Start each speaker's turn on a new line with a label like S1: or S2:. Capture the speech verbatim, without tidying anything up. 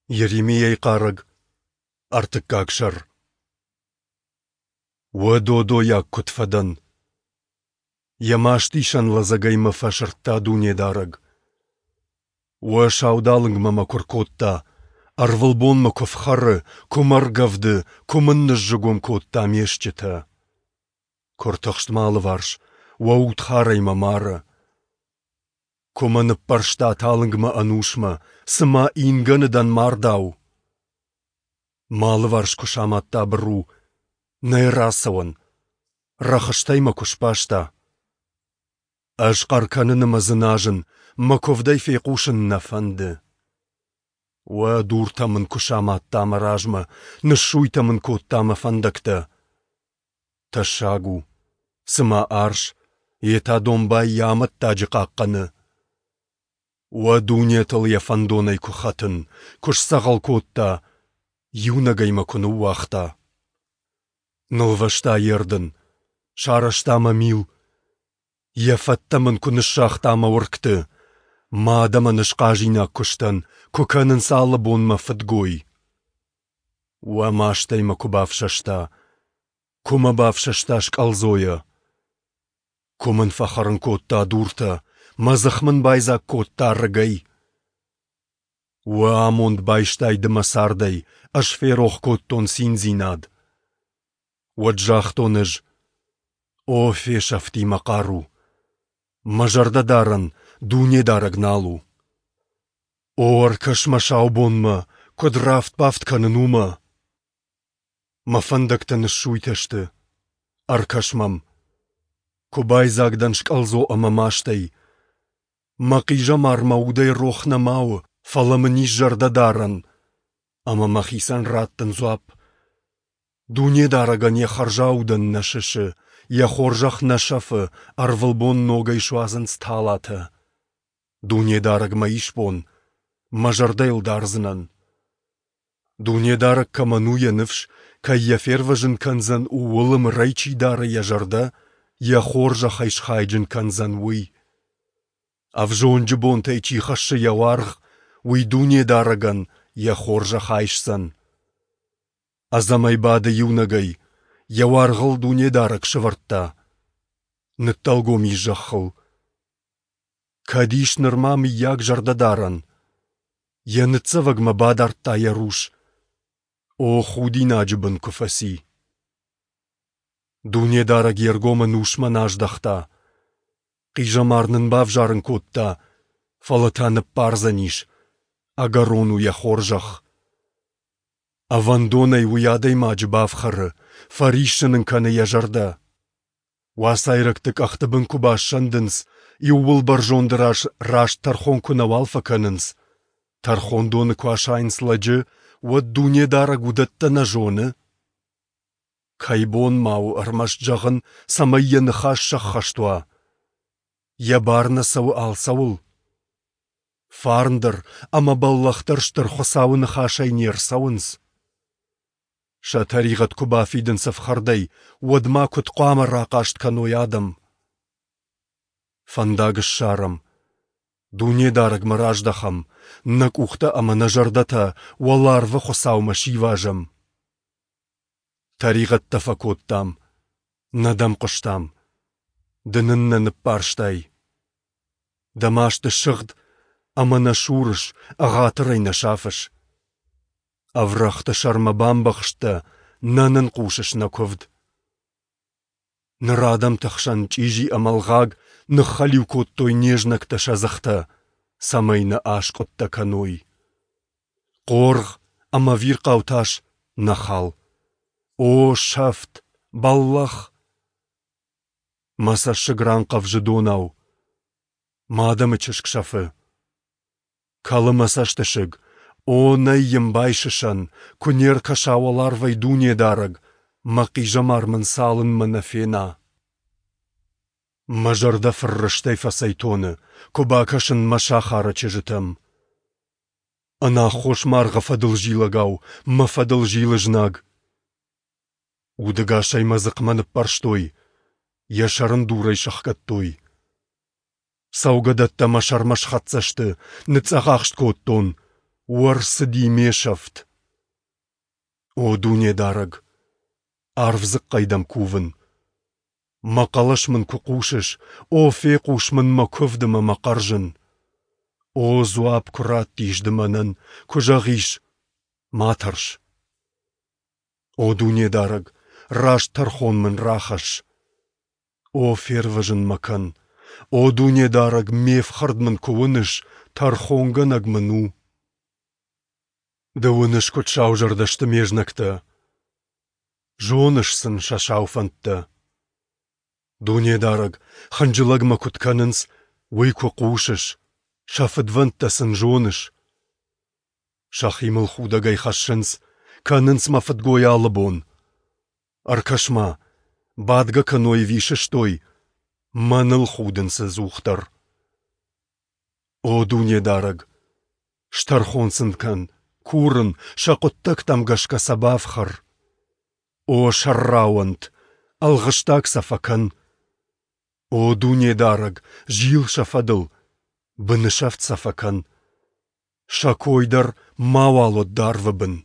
S1: Йеремийайы хъарӕг, ӕртыккаг сӕр. Уӕ додойаг куыд фӕдӕн! Йӕ мастисӕн лӕдзӕгӕй мӕ фӕсырдта Дунедарӕг. Уӕ саудалынгмӕ мӕ куы ркодта, ӕрвылбон мӕ куы фхӕры, куы мӕ ргӕвды, куы мын ныззыгуым кодта ме стджытӕ. Куы ртыхст мӕ алыварс, уӕ удхарӕй мӕ мары. Куы мӕ ныппӕрста талынгмӕ ӕнусмӕ, цыма ингӕны дӕн мардау. Мӕ алыварс куы самадта быру, нӕй рацӕуӕн, рӕхыстӕй мӕ куы сбаста. Ӕз хъӕр кӕнын ӕмӕ дзыназын, мӕ куывдӕй фехъусын нӕ фӕнды. Уӕ дуртӕ мын куы самадта мӕ размӕ, ныссуйтӕ мын кодта мӕ фӕндӕгтӕ. Тӕссаг у, цыма арс, йе та домбай йӕ амӕттаджы хъахъхъӕны. Уӕ дунетыл йӕ фӕндонӕй куы хӕтын, куы сдзӕгъӕл кодта, иунӕгӕй мӕ куы ныууагъта. Нылвӕста йе рдын, сарӕзта мӕ мил, йӕ фӕттӕ мын куы ныссагъта мӕ уыргты. Мӕ адӕмӕн ысхъазинаг куы сдӕн, куы кӕнынц алы бон мӕ фыдгой. Уӕ мастӕй мӕ куы бафсӕста, куы мӕ бафсӕста скъӕлдзойӕ. Куы мын фӕхӕрын кодта дуртӕ, мӕ дзых мын байдзаг кодта рыгӕй. Уӕ амонд байстай ды мӕ цардӕй, ӕз ферох кодтон циндзинад. Уӕд загътон ӕз: О, фесӕфти мӕ хъару! Мӕ зӕрдӕдарӕн Дунедарӕг нал у. О, ӕркӕс мӕ сау бонмӕ, куыд рафт-бафт кӕнын, уымӕ! Мӕ фӕндӕгтӕ ныссуйтӕ сты. Ӕркӕс мӕм. Куы байдзаг дӕн скъӕлдзо ӕмӕ мастӕй. Мӕ хъизӕмар мӕ удӕй рох нӕма у, фӕлӕ мын ис зӕрдӕдарӕн, ӕмӕ мӕхицӕн раттын дзуапп. Дунедарӕгӕн йӕ хӕрзаудӕн нӕ сысы, йӕ хорзӕх нӕ сӕфы, ӕрвылбон ногӕй суадзынц талатӕ. Дунедарӕг мӕ исбон, мӕ зӕрдӕ йыл дардзынӕн. Дунедарӕг кӕмӕн у йӕ ныфс, кӕй йӕ фервӕзын кӕндзӕн, ууыл ӕмырӕй чи дары йӕ зӕрдӕ, йӕ хорзӕхӕй схайджын кӕндзӕн уый. Ӕвзонджы бонтӕй чи хӕссы йӕ уаргъ, уый Дунедарӕгӕн йӕ хорзӕх айсдзӕн. Ӕдзӕмӕй бады иунӕгӕй, йӕ уаргъыл Дунедарӕг сӕвӕрдта. Ныддӕлгом ис зӕххыл. Кӕд ис нырма мыййаг зӕрдӕдарӕн? Йӕ ныццӕвӕгмӕ бадардта йӕ рус. О, худинаджы бын куы фӕци! Дунедарӕг йе ргом ӕнусмӕ нӕ аздӕхта. Хъизӕмар нын бавзарын кодта, фӕлӕ та ныббардзӕнис, ӕгӕрон у йӕ хорзӕх. Ӕвӕндонӕй уый адӕймаджы бафхӕры, фӕриссын ын кӕны йӕ зӕрдӕ. Уацайрӕгты къӕхты бын куы бассӕндынц, иууылбӕрзонды раз раст тӕрхон куы нӕуал фӕкӕнынц, тӕрхондоны куы асайынц лӕджы, уӕд Дунедарӕг уыдӕттӕ нӕ зоны? Кӕй бон ма у ӕрмӕст зӕгъын, цӕмӕй йӕ ныхас сӕххӕст уа? Йӕ бар нӕ цӕуы алцӕуыл? Фарн дӕр ӕмӕ бӕллӕх дӕр Стыр Хуыцауы ныхасӕй не рцӕуынц? Сӕ тӕригъӕд куы бафидынц ӕфхӕрдӕй, уӕд ма куыд хъуамӕ рахъаст кӕной адӕм? Фӕндаг ссарӕм, Дунедарӕгмӕ раздӕхӕм, нӕ къухтӕ ӕмӕ нӕ зӕрдӕтӕ уӕларвы Хуыцаумӕ сивазӕм. Тӕригъӕдтӕ фӕкодтам, нӕ дӕм хъуыстам, ды нын нӕ ныббарстай. Дӕ маст ссыгъд ӕмӕ нӕ сурыс, ӕгъатырӕй нӕ сафыс. Ӕврӕгъты сӕрмӕ бамбӕхстӕ, нӕ нын хъусыс нӕ куывд. Ныр адӕмты хсӕн чъизи ӕмӕ ӕлгъаг ныххӕлиу кодтой не знӕгтӕ сӕ дзыхтӕ, цӕмӕй нӕ аскъуыдтӕ кӕной. Хъоргъ ӕмӕ ӕвирхъау тас нӕ хал. О, сӕфт, бӕллӕх! Мӕ цӕссыг ранхъӕвзы донау. Мӕ адӕмы чызг сӕфы. Кӕлы мӕ цӕстысыг. О, нӕй йын байсысӕн, куы не ркӕса уӕларвӕй Дунедарӕг, мӕ хъизӕмар мын цалынмӕ нӕ фена. Мӕ зӕрдӕ фыррыстӕй фӕцӕйтоны, куы бакӕсын мӕ сахары чызджытӕм. Ӕнаххос маргъы фӕдыл зилӕгау мӕ фӕдыл зилы знаг. Удӕгасӕй мӕ дзыхъмӕ ныппӕрстой, йӕ сӕр ын дурӕй сӕхгӕдтой. Цӕугӕдӕттӕ мӕ сӕрмӕ схӕццӕ сты, ныцъцъӕхахст кодтон. О, ӕрцыди ме сӕфт! О Дунедарӕг, арф дзыхъхъӕй дӕм кувын. Мӕ хъӕлӕс мын куы хъусыс, о, фехъус мын мӕ куывд ӕмӕ мӕ хъӕрзын. О, дзуапп куы раттис ды мӕнӕн, куы зӕгъис, ма тӕрс. О Дунедарӕг, раст тӕрхон мын рахӕсс. О, фервӕзын мӕ кӕн! О Дунедарӕг, ме фхӕрд мын куы уыныс, тӕрхонгӕнӕг мын у. Ды уыныс, куыд саузӕрдӕ сты ме знӕгтӕ. Зоныс сын сӕ сау фӕндтӕ. Дунедарӕг, хынджылӕг мӕ куыд кӕнынц, уый куы хъусыс, сӕ фыдвӕндтӕ сын зоныс. Сӕхи мыл худӕгӕй хӕссынц, кӕнынц мӕ фыдгой алы бон. Ӕркӕс-ма, бадгӕ кӕной ӕви сыстой, мӕныл худынц ӕдзухдӕр. О Дунедарӕг, стӕрхон сын кӕн, курын, сӕ хъуыддӕгтӕм гӕсгӕ сӕ бафхӕр. О, сӕрра уӕнт, ӕлгъыстаг сӕ фӕкӕн. О Дунедарӕг, зил сӕ фӕдыл, бынысӕфт сӕ фӕкӕн. Сӕ кой дӕр мауал уӕд арвы бын.